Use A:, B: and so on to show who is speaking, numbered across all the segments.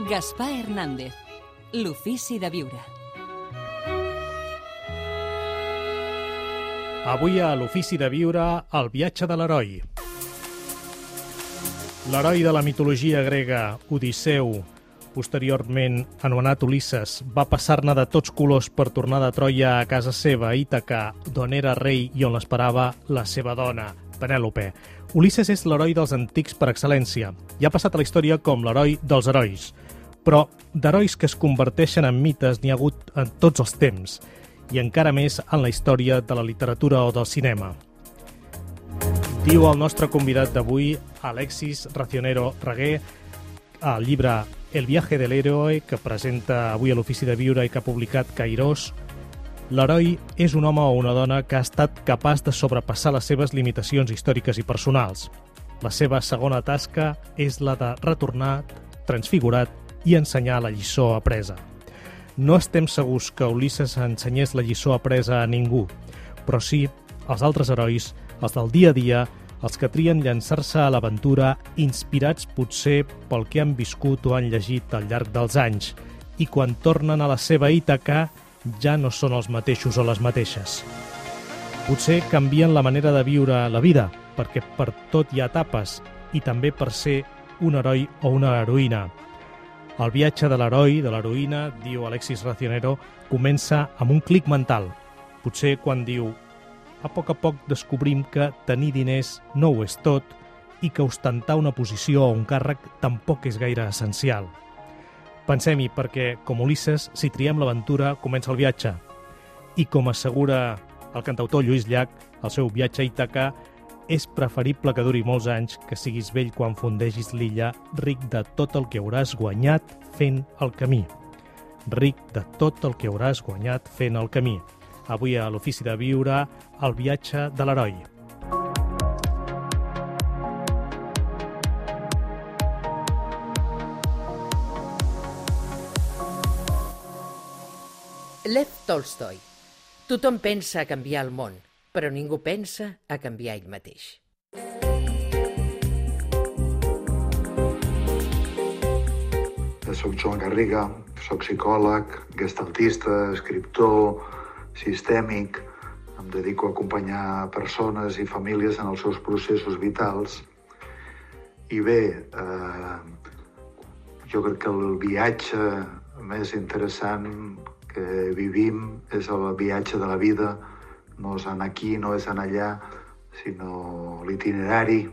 A: Gaspar Hernández, l'ofici de viure.
B: Avui a l'ofici de viure, el viatge de l'heroi. L'heroi de la mitologia grega, Odisseu, posteriorment anomenat Ulisses, va passar-ne de tots colors per tornar de Troia a casa seva, a Ítaca, d'on era rei i on l'esperava la seva dona, Penèlope. Ulisses és l'heroi dels antics per excel·lència i ha passat a la història com l'heroi dels herois. Però d'herois que es converteixen en mites n'hi ha hagut en tots els temps, i encara més en la història de la literatura o del cinema. Diu el nostre convidat d'avui, Alexis Racionero Reguer, al llibre El viaje del héroe, que presenta avui a l'Ofici de Viure i que ha publicat Cairós. L'heroi és un home o una dona que ha estat capaç de sobrepassar les seves limitacions històriques i personals. La seva segona tasca és la de retornar transfigurat i ensenyar la lliçó apresa. No estem segurs que Ulisses ensenyés la lliçó apresa a ningú, però sí als altres herois, els del dia a dia, els que trien llançar-se a l'aventura inspirats potser pel que han viscut o han llegit al llarg dels anys, i quan tornen a la seva Ítaca ja no són els mateixos o les mateixes. Potser canvien la manera de viure la vida, perquè per tot hi ha etapes, i també per ser un heroi o una heroïna. El viatge de l'heroi, de l'heroïna, diu Alexis Racionero, comença amb un clic mental. Potser quan diu a poc descobrim que tenir diners no ho és tot i que ostentar una posició o un càrrec tampoc és gaire essencial. Pensem-hi perquè, com Ulisses, si triem l'aventura, comença el viatge. I com assegura el cantautor Lluís Llach, el seu viatge a Ítaca és preferible que duri molts anys que siguis vell quan fondegis l'illa, ric de tot el que hauràs guanyat fent el camí. Ric de tot el que hauràs guanyat fent el camí. Avui a l'Ofici de Viure, el viatge de l'heroi.
C: Lev Tolstoi. Tothom pensa a canviar el món, però ningú pensa a canviar ell mateix.
D: Soc Joan Garriga, soc psicòleg, gestaltista, escriptor, sistèmic. Em dedico a acompanyar persones i famílies en els seus processos vitals. I bé, jo crec que el viatge més interessant que vivim és el viatge de la vida. No és anar aquí, no és anar allà, sinó l'itinerari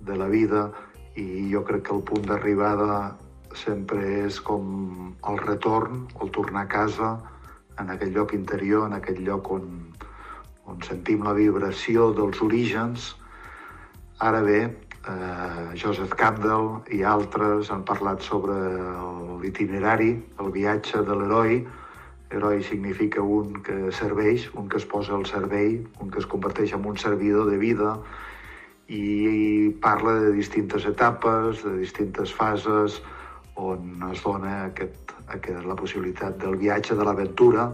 D: de la vida. I jo crec que el punt d'arribada sempre és com el retorn, el tornar a casa, en aquell lloc interior, en aquell lloc on sentim la vibració dels orígens. Ara bé, Joseph Campbell i altres han parlat sobre l'itinerari, el viatge de l'heroi. Heroi significa un que serveix, un que es posa al servei, un que es converteix en un servidor de vida, i parla de distintes etapes, de distintes fases, on es dona la possibilitat del viatge, de l'aventura,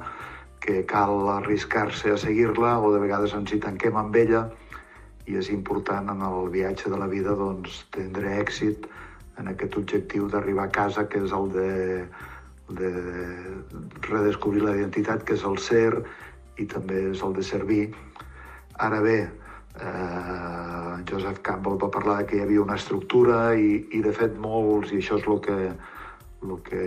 D: que cal arriscar-se a seguir-la o de vegades ens hi tanquem amb ella, i és important en el viatge de la vida tindre èxit en aquest objectiu d'arribar a casa, que és el de redescobrir la identitat, que és el ser, i també és el de servir. Ara bé, Joseph Campbell va parlar que hi havia una estructura i de fet molts, i això és el que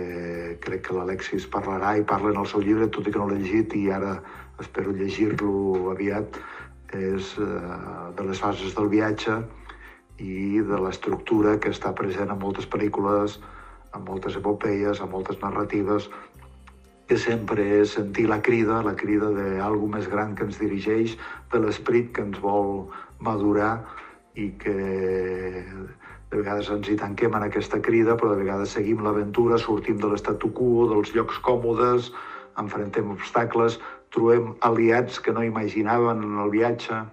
D: crec que l'Alexis parlarà i parla en el seu llibre, tot i que no l'he llegit i ara espero llegir-lo aviat, és de les fases del viatge i de l'estructura que està present en moltes pel·lícules, en moltes epopeies, en moltes narratives, que sempre és sentir la crida d'algú més gran que ens dirigeix, de l'esperit que ens vol madurar i que de vegades ens hi tanquem en aquesta crida, però de vegades seguim l'aventura, sortim de l'statu quo, dels llocs còmodes, enfrontem obstacles, trobem aliats que no imaginàvem en el viatge,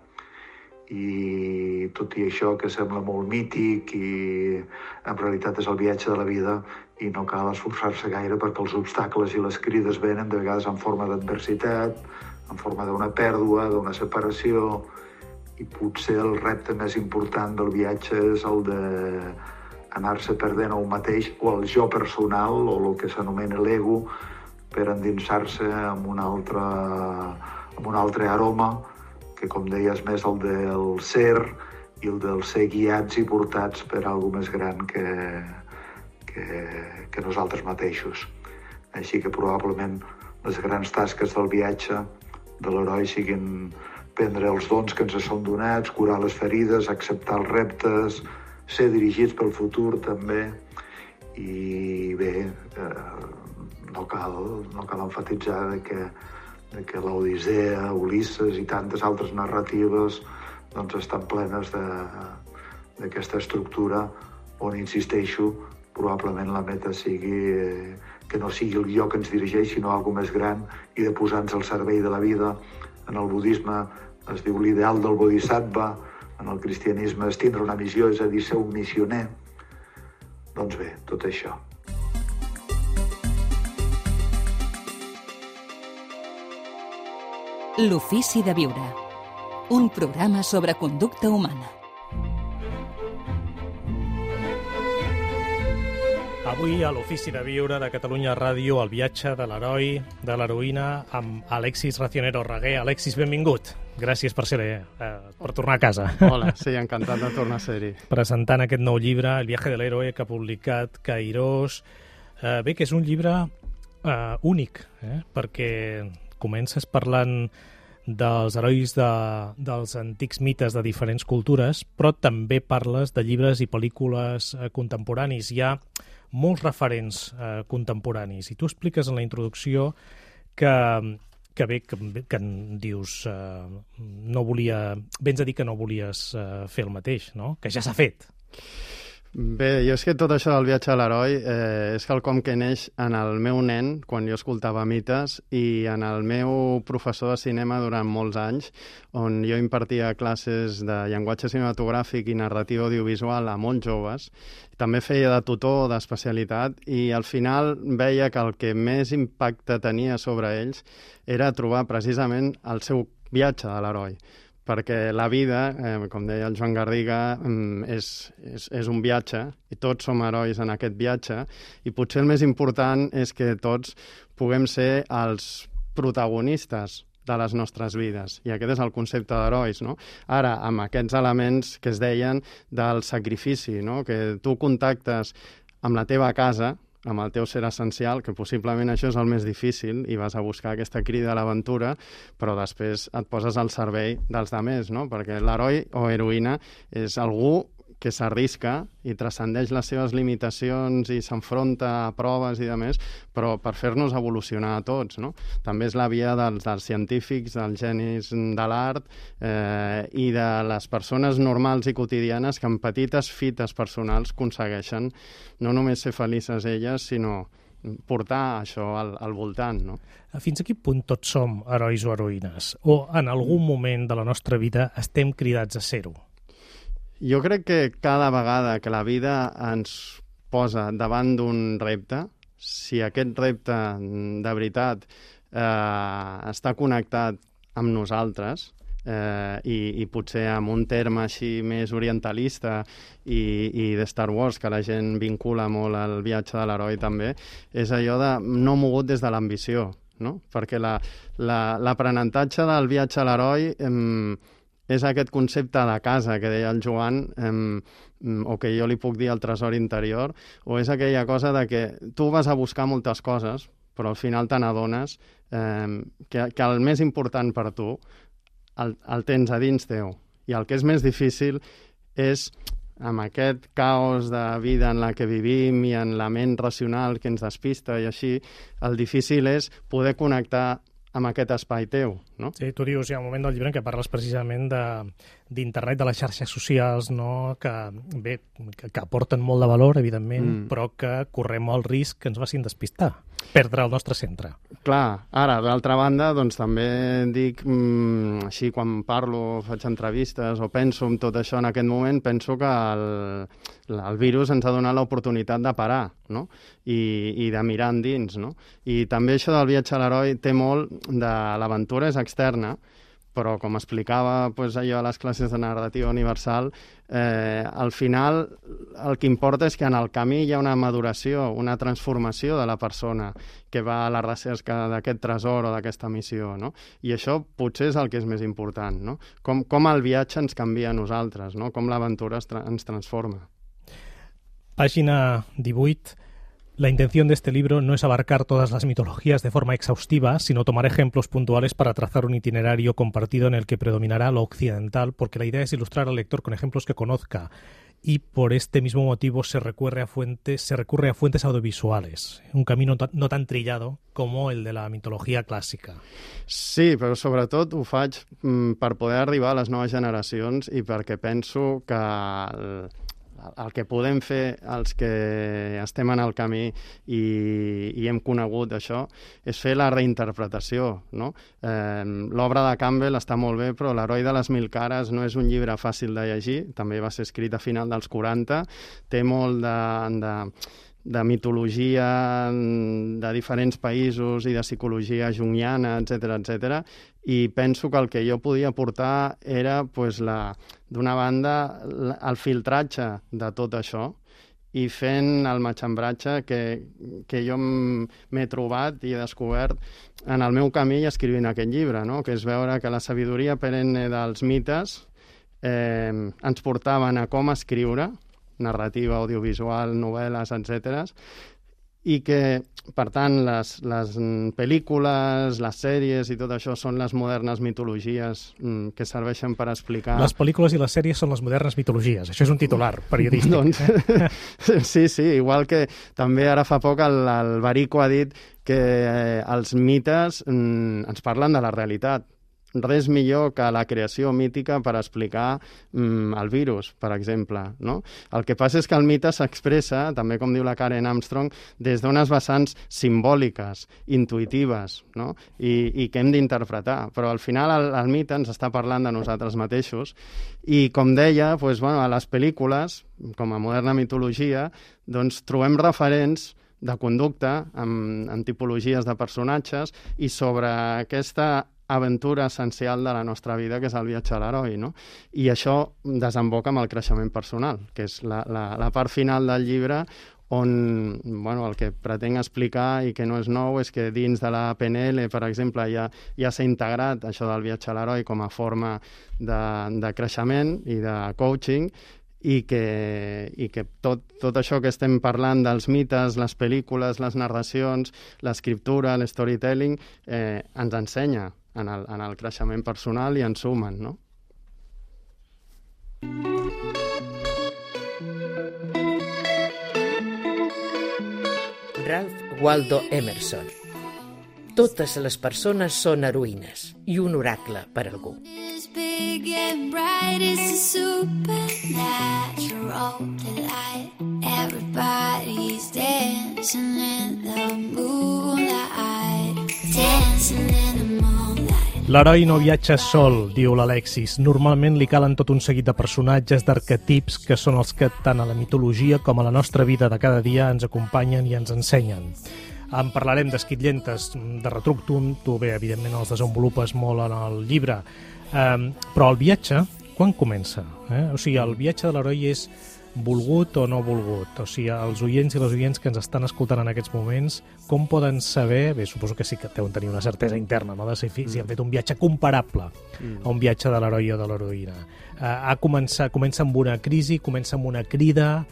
D: i tot i això que sembla molt mític i en realitat és el viatge de la vida i no cal esforçar-se gaire perquè els obstacles i les crides venen de vegades en forma d'adversitat, en forma d'una pèrdua, d'una separació, i potser el repte més important del viatge és el de anar-se perdent a un mateix o el jo personal o el que s'anomena l'ego per endinsar-se amb un altre aroma que, com deies, més el del ser i el del ser guiats i portats per alguna més gran que nosaltres mateixos. Així que probablement les grans tasques del viatge de l'heroi siguin prendre els dons que ens són donats, curar les ferides, acceptar els reptes, ser dirigits pel futur també. I bé, no cal emfatitzar que l'Odissea, Ulisses i tantes altres narratives doncs estan plenes d'aquesta estructura on, insisteixo, probablement la meta sigui que no sigui el jo que ens dirigeix, sinó alguna més gran i de posar-nos al servei de la vida. En el budisme es diu l'ideal del bodhisattva, en el cristianisme és tindre una missió, és a dir, ser un missioner. Doncs bé, tot això.
A: L'ofici de viure. Un programa sobre conducta humana.
B: Avui a l'Ofici de Viure de Catalunya Ràdio, el viatge de l'heroi, de l'heroïna, amb Alexis Racionero Reguer. Alexis, benvingut. Gràcies per tornar a casa.
E: Hola, sí, encantat de tornar a ser-hi.
B: Presentant aquest nou llibre, El viaje de l'héroe, que ha publicat Cairós. Bé, que és un llibre únic, perquè comences parlant dels herois dels antics mites de diferents cultures, però també parles de llibres i pel·lícules contemporanis. Hi ha molts referents contemporanis, i tu expliques en la introducció que dius vens a dir que no volies fer el mateix, no? Que ja s'ha fet.
E: Bé, jo és que tot això del viatge a l'heroi és quelcom que neix en el meu nen, quan jo escoltava mites, i en el meu professor de cinema durant molts anys, on jo impartia classes de llenguatge cinematogràfic i narrativa audiovisual a molts joves. També feia de tutor d'especialitat i al final veia que el que més impacte tenia sobre ells era trobar precisament el seu viatge de l'heroi. Perquè la vida, com deia el Joan Garriga, és un viatge i tots som herois en aquest viatge, i potser el més important és que tots puguem ser els protagonistes de les nostres vides, i aquest és el concepte d'herois, no? Ara, amb aquests elements que es deien del sacrifici, no? Que tu contactes amb la teva casa, amb el teu ser essencial, que possiblement això és el més difícil, i vas a buscar aquesta crida a l'aventura, però després et poses al servei dels altres, no? Perquè l'heroi o heroïna és algú que s'arrisca i transcendeix les seves limitacions i s'enfronta a proves i demés, però per fer-nos evolucionar a tots, no? També és la via dels científics, dels genis de l'art i de les persones normals i quotidianes que amb petites fites personals aconsegueixen no només ser felices elles, sinó portar això al voltant, no?
B: Fins a quin punt tots som herois o heroïnes? O en algun moment de la nostra vida estem cridats a ser-ho?
E: Jo crec que cada vegada que la vida ens posa davant d'un repte, si aquest repte de veritat està connectat amb nosaltres, i potser amb un terme així més orientalista i de Star Wars, que la gent vincula molt al viatge de l'heroi també, és allò de no mogut des de l'ambició, no? Perquè l'aprenentatge del viatge a l'heroi és aquest concepte de casa que deia el Joan, o que jo li puc dir el tresor interior, o és aquella cosa de que tu vas a buscar moltes coses, però al final te n'adones que el més important per tu el tens a dins teu. I el que és més difícil és, amb aquest caos de vida en la que vivim i en la ment racional que ens despista i així, el difícil és poder connectar amb aquest espai teu, no?
B: Sí, tu dius, hi ha un moment del llibre en què parles precisament d'internet, de les xarxes socials, no? Que aporten molt de valor, evidentment, però que correm el risc que ens facin despistar, perdre el nostre centre.
E: Clar, ara, d'altra banda, doncs també dic, així quan parlo, faig entrevistes o penso en tot això en aquest moment, penso que el virus ens ha donat l'oportunitat de parar, no? I de mirar endins, no? I també això del viatge a l'heroi té molt de l'aventura és externa, però com explicava allò a les classes de narrativa universal, al final el que importa és que en el camí hi ha una maduració, una transformació de la persona que va a la recerca d'aquest tresor o d'aquesta missió, no? I això potser és el que és més important, no? Com el viatge ens canvia a nosaltres, no? Com l'aventura ens transforma.
B: Página 18. La intención de este libro no es abarcar todas las mitologías de forma exhaustiva, sino tomar ejemplos puntuales para trazar un itinerario compartido en el que predominará lo occidental, porque la idea es ilustrar al lector con ejemplos que conozca, y por este mismo motivo se recurre a fuentes audiovisuales, un camino no tan trillado como el de la mitología clàssica.
E: Sí, però sobretot ho faig per poder arribar a les noves generacions i perquè penso que el que podem fer els que estem en el camí i hem conegut això és fer la reinterpretació, no? L'obra de Campbell està molt bé, però L'heroi de les mil cares no és un llibre fàcil de llegir, també va ser escrit a final dels 40, té molt de mitologia de diferents països i de psicologia junguiana, etc. I penso que el que jo podia aportar era, d'una banda, el filtratge de tot això i fent el matxembratge que jo m'he trobat i he descobert en el meu camí escrivint aquest llibre, no? Que és veure que la sabidoria perenne dels mites ens portaven a com escriure, narrativa, audiovisual, novel·les, etc. I que, per tant, les pel·lícules, les sèries i tot això són les modernes mitologies que serveixen per explicar...
B: Les pel·lícules i les sèries són les modernes mitologies. Això és un titular periodístic.
E: Doncs, sí, igual que també ara fa poc el Barico ha dit que els mites ens parlen de la realitat. Res millor que la creació mítica per explicar el virus, per exemple, no? El que passa és que el mite s'expressa, també com diu la Karen Armstrong, des d'unes vessants simbòliques, intuïtives, no? I que hem d'interpretar. Però al final el mite ens està parlant de nosaltres mateixos i, com deia, a les pel·lícules, com a moderna mitologia, doncs trobem referents de conducta amb tipologies de personatges i sobre aquesta aventura essencial de la nostra vida, que és el viatge a l'heroi, no? I això desemboca amb el creixement personal, que és la part final del llibre on el que pretenc explicar i que no és nou és que dins de la PNL, per exemple, ja s'ha integrat això del viatge a l'heroi com a forma de creixement i de coaching, i que tot això que estem parlant dels mites, les pel·lícules, les narracions, l'escriptura, l'storytelling, ens ensenya en el creixement personal i ens sumen, no?
C: Ralph Waldo Emerson. Totes les persones són heroïnes i un oracle per algú. Big and bright, it's a supernatural delight. Everybody's dancing in the moonlight, dancing in the moonlight.
B: L'heroi no viatja sol, diu l'Alexis. Normalment li calen tot un seguit de personatges, d'arquetips, que són els que tant a la mitologia com a la nostra vida de cada dia ens acompanyen i ens ensenyen. En parlarem d'esquitllentes, de Retructum, tu bé, evidentment, els desenvolupes molt en el llibre. Però el viatge, quan comença? O sigui, el viatge de l'heroi és volgut o no volgut? O sigui, els oients i les oients que ens estan escoltant en aquests moments, com poden saber, bé, suposo que sí que deuen tenir una certesa interna, no?, de si han fet un viatge comparable a un viatge de l'heroi o de l'heroïna. Comença amb una crisi, comença amb una crida,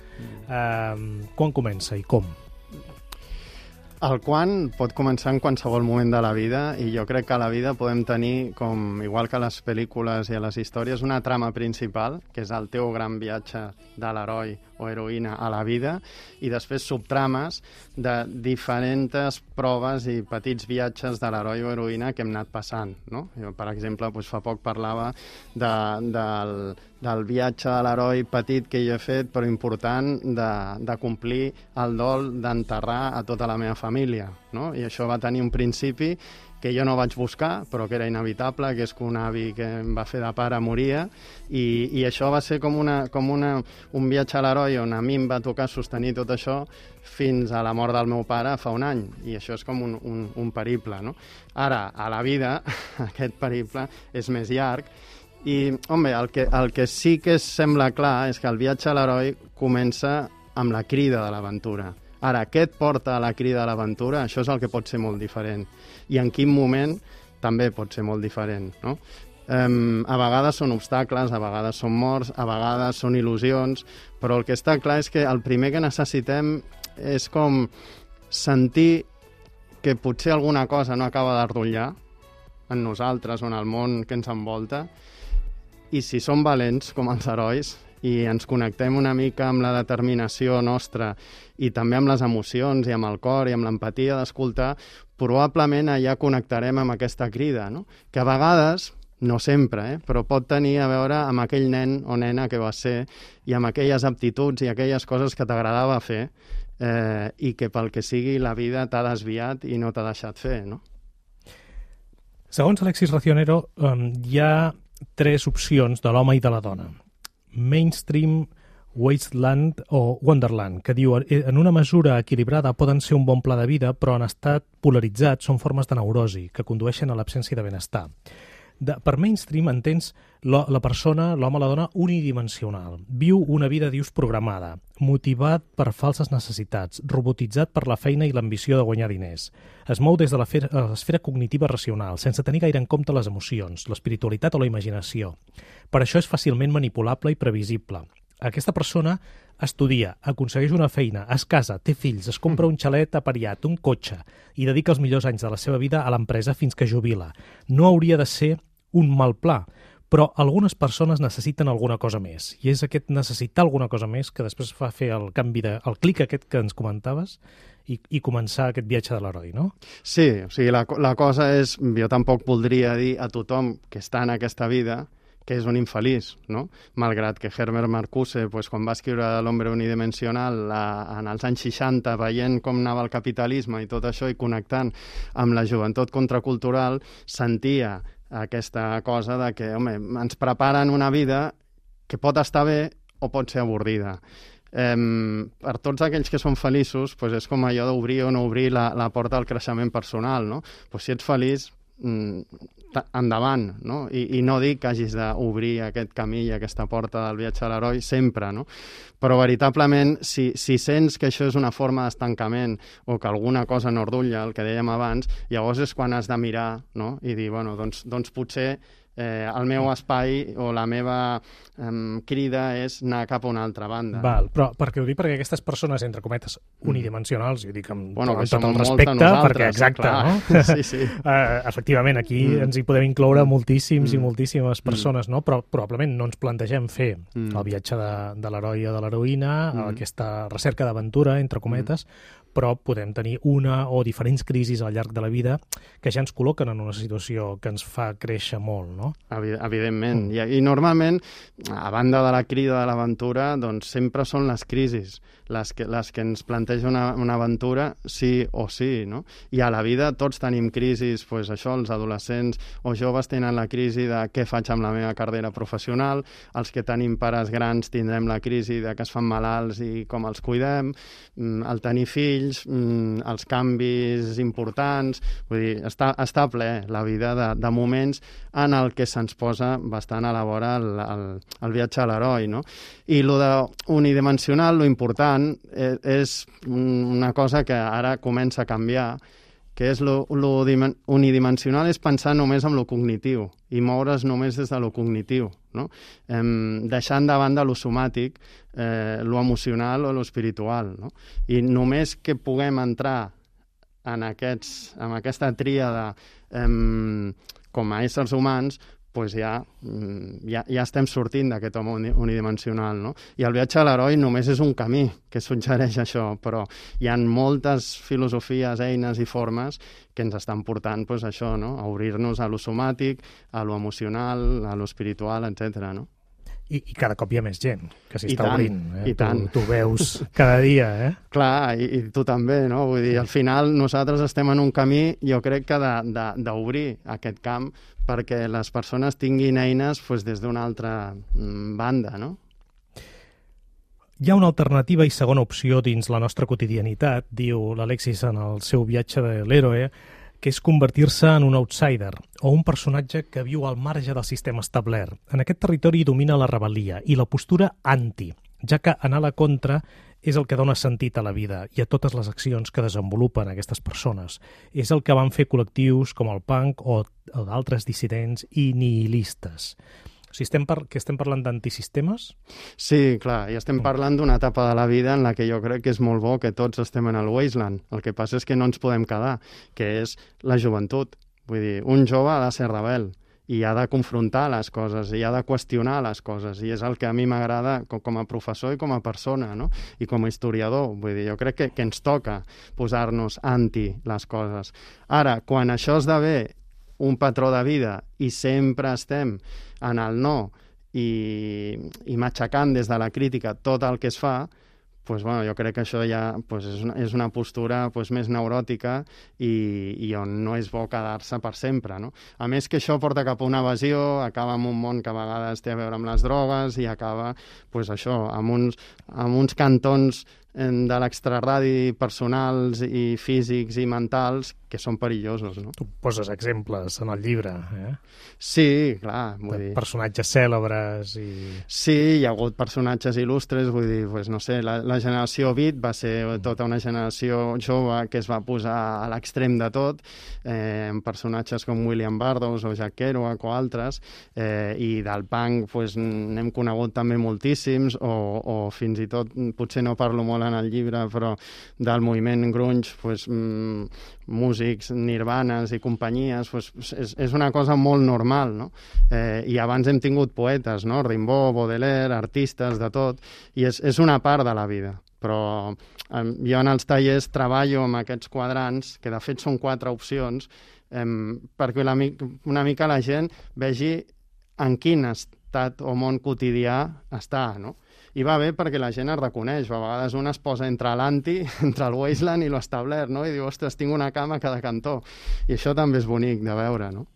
B: quan comença i com?
E: El quan pot començar en qualsevol moment de la vida i jo crec que a la vida podem tenir, igual que a les pel·lícules i a les històries, una trama principal, que és el teu gran viatge de l'heroi o heroïna a la vida, i després subtrames de diferents proves i petits viatges de l'heroi o heroïna que hem anat passant, no? Jo, per exemple, fa poc parlava del viatge de l'heroi petit que jo he fet, però important, de complir el dol d'enterrar a tota la meva família, no? I això va tenir un principi que jo no vaig buscar, però que era inevitable, que és que un avi que em va fer de pare moria, i això va ser com un viatge a l'heroi on a mi em va tocar sostenir tot això fins a la mort del meu pare fa un any, i això és com un periple, no? Ara, a la vida, aquest periple és més llarg, i, home, el que sí que sembla clar és que el viatge a l'heroi comença amb la crida de l'aventura. Ara, què et porta a la crida de l'aventura? Això és el que pot ser molt diferent. I en quin moment també pot ser molt diferent, no? A vegades són obstacles, a vegades són morts, a vegades són il·lusions, però el que està clar és que el primer que necessitem és com sentir que potser alguna cosa no acaba d'ardollar en nosaltres o en el món que ens envolta, i si som valents com els herois i ens connectem una mica amb la determinació nostra i també amb les emocions i amb el cor i amb l'empatia d'escoltar, probablement allà connectarem amb aquesta crida, no? Que a vegades, no sempre, però pot tenir a veure amb aquell nen o nena que va ser i amb aquelles aptituds i aquelles coses que t'agradava fer i que pel que sigui la vida t'ha desviat i no t'ha deixat fer, no?
B: Segons Alexis Racionero, hi ha 3 opcions de l'home i de la dona. Mainstream, Wasteland o Wonderland, que diu en una mesura equilibrada poden ser un bon pla de vida, però en estat polaritzat són formes de neurosi que condueixen a l'absència de benestar. Per mainstream entens la persona, l'home o la dona, unidimensional. Viu una vida, dius, programada, motivat per falses necessitats, robotitzat per la feina i l'ambició de guanyar diners. Es mou des de l'esfera cognitiva racional, sense tenir gaire en compte les emocions, l'espiritualitat o la imaginació. Per això és fàcilment manipulable i previsible. Aquesta persona estudia, aconsegueix una feina, es casa, té fills, es compra un xalet apariat, un cotxe, i dedica els millors anys de la seva vida a l'empresa fins que jubila. No hauria de ser un mal pla, però algunes persones necessiten alguna cosa més, i és aquest necessitar alguna cosa més que després fa fer el canvi el clic aquest que ens comentaves i començar aquest viatge de l'heroi, no?
E: Sí, o sigui, la cosa és, jo tampoc voldria dir a tothom que està en aquesta vida que és un infeliç, no? Malgrat que Herbert Marcuse, quan va escriure L'hombre unidimensional en els anys 60, veient com anava el capitalisme i tot això i connectant amb la joventut contracultural, sentia aquesta cosa de que, home, ens preparen una vida que pot estar bé o pot ser avorrida. Per tots aquells que són feliços, és com allò d'obrir o no obrir la porta al creixement personal, no? Si ets feliç, endavant, no? I no dic que hagis d'obrir aquest camí i aquesta porta del viatge a l'heroi sempre, no? Però veritablement, si sents que això és una forma d'estancament o que alguna cosa no ordulla, el que dèiem abans, llavors és quan has de mirar, no? I dir, bueno, doncs potser el meu espai o la meva crida és anar cap a una altra banda.
B: Val, però perquè ho dic perquè aquestes persones, entre cometes, unidimensionals, i ho dic amb tot el
E: respecte,
B: perquè exacte,
E: clar.
B: No?
E: Sí.
B: Efectivament, aquí ens hi podem incloure moltíssims i moltíssimes persones, no? Però probablement no ens plantegem fer el viatge de l'heroi o de l'heroïna, aquesta recerca d'aventura, entre cometes, però podem tenir una o diferents crisis al llarg de la vida que ja ens col·loquen en una situació que ens fa créixer molt, no?
E: Evidentment. I normalment, a banda de la crida de l'aventura, doncs sempre són les crisis les que ens planteja una aventura sí o sí, no? I a la vida tots tenim crisis, això, els adolescents o joves tenen la crisi de què faig amb la meva carrera professional, els que tenim pares grans tindrem la crisi de que es fan malalts i com els cuidem, el tenir fills, els canvis importants, vull dir, està ple la vida de moments en el que se'ns posa bastant a la vora el viatge a l'heroi, no? I lo de unidimensional, lo important és una cosa que ara comença a canviar, que és lo unidimensional és pensar només en lo cognitiu i moure's només des de lo cognitiu, no? Deixant de banda lo somàtic, lo emocional o lo espiritual, no? I només que puguem entrar en aquesta tríada com a éssers humans, ja estem sortint d'aquest home unidimensional, no? I el viatge a l'heroi només és un camí que suggereix això, però hi ha moltes filosofies, eines i formes que ens estan portant això, no? A obrir-nos a lo somàtic, a lo emocional, a lo espiritual, etc. No?
B: I cada cop hi ha més gent que s'hi està
E: tant,
B: obrint.
E: i tant.
B: Tu veus cada dia,
E: Clar, i tu també, no? Vull dir, al final nosaltres estem en un camí, jo crec que d'obrir aquest camp perquè les persones tinguin eines des d'una altra banda, no?
B: Hi ha una alternativa i segona opció dins la nostra quotidianitat, diu l'Alexis en el seu viatge de l'Héroe, que és convertir-se en un outsider o un personatge que viu al marge del sistema establert. En aquest territori domina la rebel·lia i la postura anti, ja que anar a la contra és el que dona sentit a la vida i a totes les accions que desenvolupen aquestes persones. És el que van fer col·lectius com el punk o d'altres dissidents i nihilistes. O sigui, estem parlant d'antisistemes?
E: Sí, clar, i estem parlant d'una etapa de la vida en la que jo crec que és molt bo que tots estem en el wasteland. El que passa és que no ens podem quedar, que és la joventut. Vull dir, un jove ha de ser rebel i ha de confrontar les coses i ha de qüestionar les coses, i és el que a mi m'agrada com a professor i com a persona, no? I com a historiador. Vull dir, jo crec que ens toca posar-nos anti les coses. Ara, quan això esdevé un patró de vida i sempre estem en el no i matxacant des de la crítica tot el que es fa, jo crec que això ja és una postura més neuròtica i on no és bo quedar-se per sempre, no? A més que això porta cap a una evasió, acaba en un món que a vegades té a veure amb les drogues i acaba amb uns cantons de l'extraradi personals i físics i mentals que són perillosos, no?
B: Tu poses exemples en el llibre,
E: Sí, clar, vull dir...
B: Personatges cèlebres i...
E: Sí, hi ha hagut personatges il·lustres, vull dir, no sé, la generació Beat va ser tota una generació jove que es va posar a l'extrem de tot, amb personatges com William Burroughs o Jack Kerouac o altres, i del punk n'hem conegut també moltíssims, o fins i tot, potser no parlo molt en el llibre, però del moviment grunge, músics, nirvanes i companyies, és una cosa molt normal, no? I abans hem tingut poetes, no? Rimbaud, Baudelaire, artistes, de tot, i és una part de la vida. Però jo en els tallers treballo amb aquests quadrants, que de fet són 4 opcions, perquè una mica la gent vegi en quin estat o món quotidià està, no? I va bé perquè la gent es reconeix. A vegades un es posa entre l'anti, entre el wasteland i l'establert, no? I diu, ostres, tinc una cama a cada cantó. I això també és bonic de veure, no?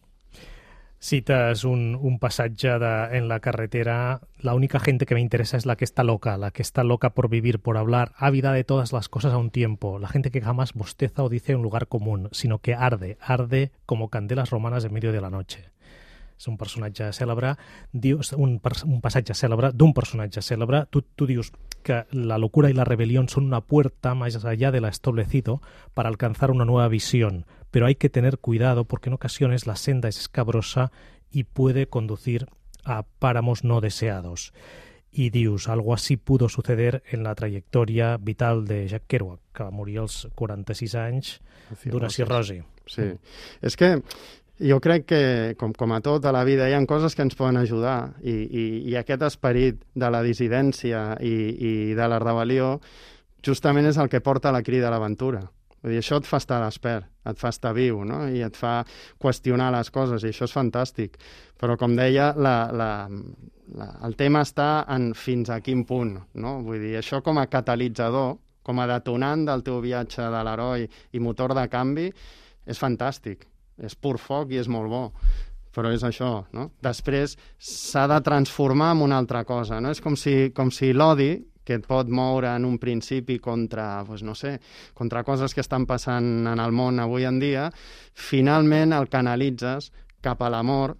B: Citas un pasaje en la carretera: la única gente que me interesa es la que está loca por vivir, por hablar, ávida de todas las cosas a un tiempo, la gente que jamás bosteza o dice un lugar común, sino que arde como candelas romanas en medio de la noche. És un personatge cèlebre, un passatge cèlebre d'un personatge cèlebre. Tu dius que la locura y la rebelión son una puerta más allá de lo establecido para alcanzar una nueva visión, pero hay que tener cuidado porque en ocasiones la senda es escabrosa y puede conducir a páramos no deseados. I dius, algo así pudo suceder en la trajectòria vital de Jack Kerouac, que va morir als 46 anys d'una cirrosi.
E: Sí, és que jo crec que, com a tot a la vida, hi ha coses que ens poden ajudar i aquest esperit de la dissidència i de la rebel·lió justament és el que porta a la crida a l'aventura. Vull dir, això et fa estar despert, et fa estar viu, no? I et fa qüestionar les coses, i això és fantàstic. Però, com deia, el tema està en fins a quin punt, no? Vull dir, això com a catalitzador, com a detonant del teu viatge de l'heroi i motor de canvi, és fantàstic. És pur foc i és molt bo, però és això, no? Després s'ha de transformar en una altra cosa, no? És com si l'odi, que et pot moure en un principi contra, no sé, contra coses que estan passant en el món avui en dia, finalment el canalitzes cap a l'amor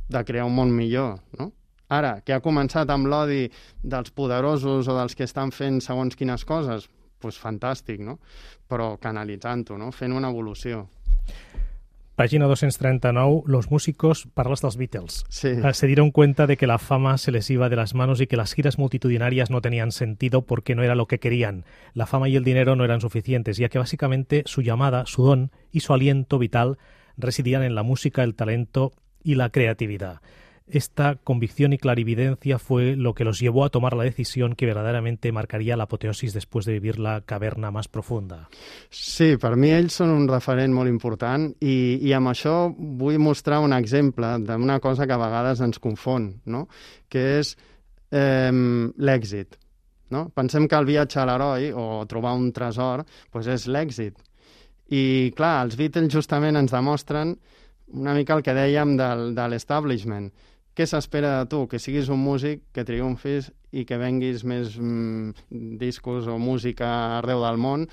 E: de crear un món millor, no? Ara, que ha començat amb l'odi dels poderosos o dels que estan fent segons quines coses, doncs fantàstic, no? Però canalitzant-ho, no? Fent una evolució.
B: Página 239, los músicos, parlas de los Beatles.
E: Sí.
B: Se dieron cuenta de que la fama se les iba de las manos y que las giras multitudinarias no tenían sentido porque no era lo que querían. La fama y el dinero no eran suficientes, ya que básicamente su llamada, su don y su aliento vital residían en la música, el talento y la creatividad. Esta convicción y clarividencia fue lo que los llevó a tomar la decisión que verdaderamente marcaría la apoteosis después de vivir la caverna más profunda.
E: Sí, per mi ells són un referent molt important i amb això vull mostrar un exemple d'una cosa que a vegades ens confon, no? Que és l'èxit. No? Pensem que el viatge a l'heroi o trobar un tresor doncs és l'èxit. I, clar, els Beatles justament ens demostren una mica el que dèiem de l'establishment. Què s'espera de tu? Que siguis un músic, que triomfis i que venguis més discos o música arreu del món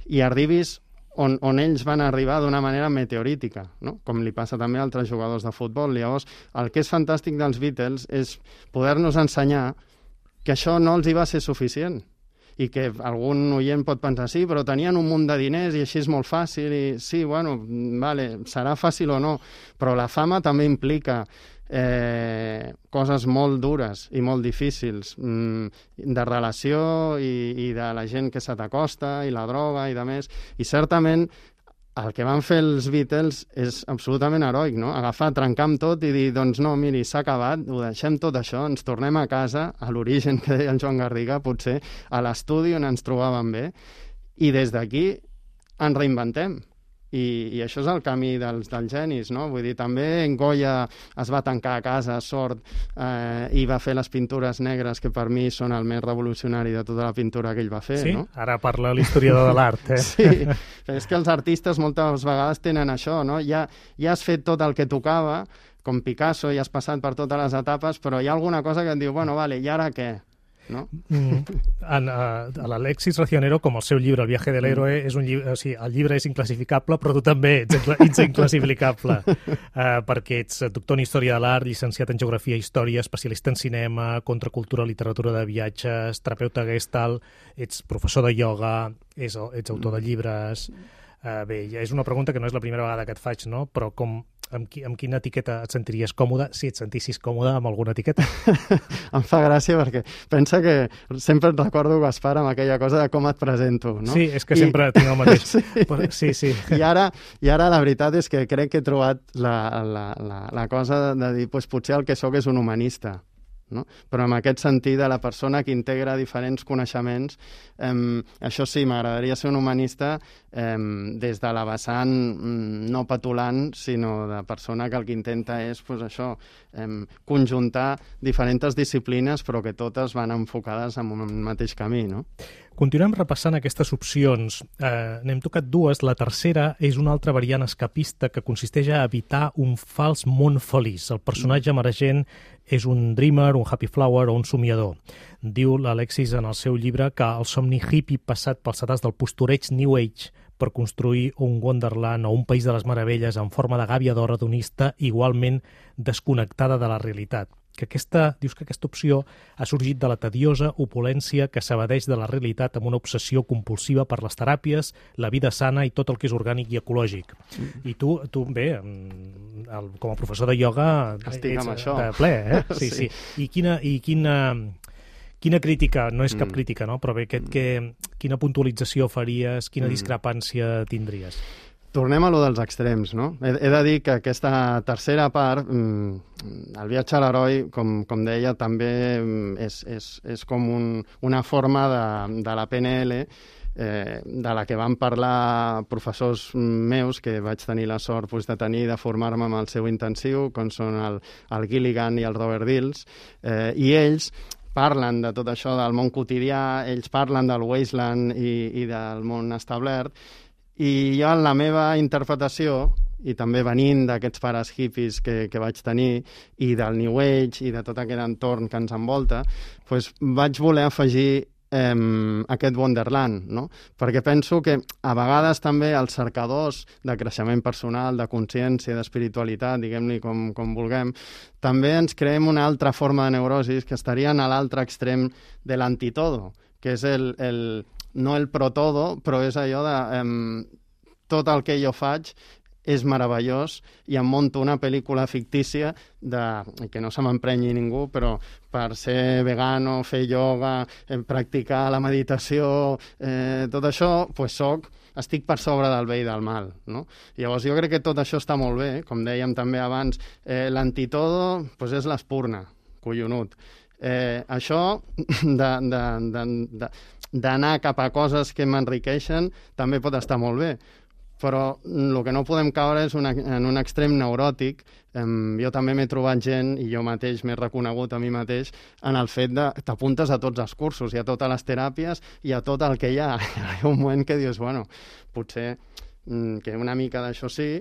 E: i arribis on ells van arribar d'una manera meteorítica, no? Com li passa també a altres jugadors de futbol. Llavors, el que és fantàstic dels Beatles és poder-nos ensenyar que això no els hi va ser suficient i que algun oient pot pensar sí, però tenien un munt de diners i així és molt fàcil i sí, bueno, vale, serà fàcil o no, però la fama també implica coses molt dures i molt difícils de relació i de la gent que se t'acosta i la droga i de més, i certament el que van fer els Beatles és absolutament heroic, no? Agafar, trencar amb tot i dir, doncs no, miri, s'ha acabat, ho deixem tot això, ens tornem a casa, a l'origen que deia el Joan Garriga, potser, a l'estudi on ens trobàvem bé, i des d'aquí ens reinventem. I això és el camí dels genis, no? Vull dir, també Goya es va tancar a casa, sord, i va fer les pintures negres, que per mi són el més revolucionari de tota la pintura que ell va fer,
B: sí?
E: No?
B: Ara parla l'historiador de l'art,
E: Sí, és que els artistes moltes vegades tenen això, no? Ja has fet tot el que tocava, com Picasso, i has passat per totes les etapes, però hi ha alguna cosa que et diu, bueno, vale, i ara què? No?
B: L'Alexis Racionero, com el seu llibre El viaje del héroe, és un llibre, o sigui, el llibre és inclassificable, però tu també ets inclassificable, perquè ets doctor en Història de l'Art, llicenciat en Geografia i Història, especialista en cinema, contracultura, literatura de viatges, terapeuta Gestalt, ets professor de ioga, ets autor de llibres... Bé, és una pregunta que no és la primera vegada que et faig, no? Però amb quina etiqueta et sentiries còmode, si et sentissis còmode amb alguna etiqueta?
E: Em fa gràcia perquè pensa que sempre et recordo, Gaspar, amb aquella cosa de com et presento, no?
B: Sí, és que sempre tinc el mateix. Sí.
E: I ara la veritat és que crec que he trobat la cosa de dir, doncs potser el que sóc és un humanista, no? Però en aquest sentit de la persona que integra diferents coneixements, això sí, m'agradaria ser un humanista des de la vessant no petulant, sinó de persona que el que intenta és això, conjuntar diferents disciplines però que totes van enfocades en un mateix camí, no?
B: Continuem repassant aquestes opcions. N'hem tocat dues. La tercera és una altra variant escapista que consisteix a evitar un fals món feliç. El personatge emergent és un dreamer, un happy flower o un somiador. Diu l'Alexis en el seu llibre que el somni hippie passat pels sedars del postureig New Age per construir un Wonderland o un país de les meravelles en forma de gàbia d'or hedonista igualment desconnectada de la realitat. Dius que aquesta opció ha sorgit de la tediosa opulència que s'evadeix de la realitat amb una obsessió compulsiva per les teràpies, la vida sana i tot el que és orgànic i ecològic. I tu bé, com a professor de ioga
E: estic amb això.
B: De ple, eh? Sí. I quina crítica, no és cap crítica, no? Però bé, quina puntualització faries, quina discrepància tindries?
E: Tornem a lo dels extrems, no? He de dir que aquesta tercera part, el viatge a l'heroi, com deia, també és com una forma de la PNL de la que van parlar professors meus que vaig tenir la sort de tenir, de formar-me amb el seu intensiu, com són el Gilligan i el Robert Dills, i ells parlen de tot això del món quotidià, ells parlen del wasteland i del món establert, i jo en la meva interpretació, i també venint d'aquests pares hippies que vaig tenir, i del New Age i de tot aquest entorn que ens envolta, doncs vaig voler afegir aquest Wonderland, no? Perquè penso que a vegades també els cercadors de creixement personal, de consciència, d'espiritualitat, diguem-li com vulguem, també ens creem una altra forma de neurosis que estarien a l'altre extrem de l'antitodo, que és no el pro-todo, però és allò de tot el que jo faig és meravellós i em monto una pel·lícula fictícia que no se m'emprenyi ningú, però per ser vegano, fer ioga, practicar la meditació, tot això, doncs estic per sobre del bé i del mal, no? Llavors jo crec que tot això està molt bé, com dèiem també abans, l'antitodo és l'espurna, collonut. Això d'anar cap a coses que m'enriqueixen també pot estar molt bé, però el que no podem caure és en un extrem neuròtic. Jo també m'he trobat gent, i jo mateix m'he reconegut a mi mateix, en el fet de t'apuntes a tots els cursos i a totes les teràpies i a tot el que hi ha. Hi ha un moment que dius, bueno, potser que una mica d'això sí,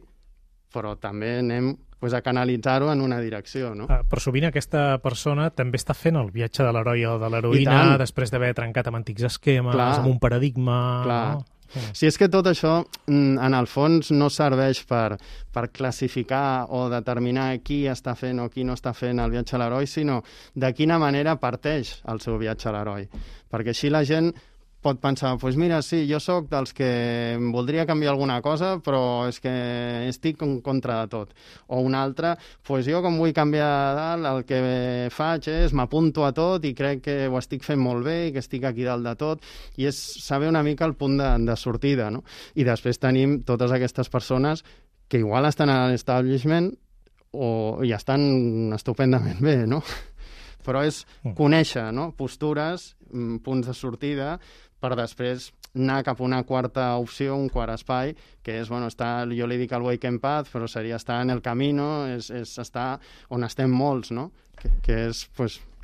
E: però també anem a canalitzar-ho en una direcció, no?
B: Però sovint aquesta persona també està fent el viatge de l'heroi o de l'heroïna després d'haver trencat amb antics esquemes, amb un paradigma...
E: Clar. No? Si és que tot això, en el fons, no serveix per classificar o determinar qui està fent o qui no està fent el viatge a l'heroi, sinó de quina manera parteix el seu viatge a l'heroi. Perquè així la gent pot pensar, doncs mira, sí, jo sóc dels que voldria canviar alguna cosa, però és que estic en contra de tot. O un altre, doncs jo com vull canviar dalt, el que faig és m'apunto a tot i crec que ho estic fent molt bé i que estic aquí dalt de tot, i és saber una mica el punt de sortida, no? I després tenim totes aquestes persones que igual estan a l'establishment i estan estupendament bé, no? Però és conèixer, no? Postures, punts de sortida, per després anar cap a una quarta opció, un quart espai, que és, bueno, jo li dic el Waking Path, però seria estar en el camino, és estar on estem molts, no? Que és,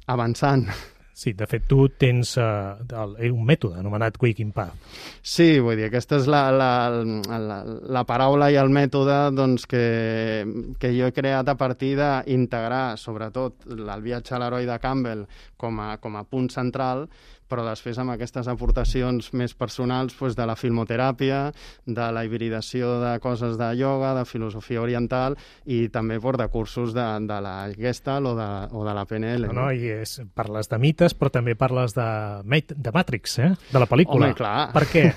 E: avançant.
B: Sí, de fet, tu tens un mètode anomenat Waking Path.
E: Sí, vull dir, aquesta és la paraula i el mètode doncs, que jo he creat a partir d'integrar, sobretot, el viatge a l'heroi de Campbell com a punt central, però després amb aquestes aportacions més personals de la filmoteràpia, de la hibridació de coses de ioga, de filosofia oriental i també de cursos de la Gestalt o de la PNL.
B: No, i parles de mites, però també parles de Matrix, de la pel·lícula.
E: Home, clar.
B: Per què?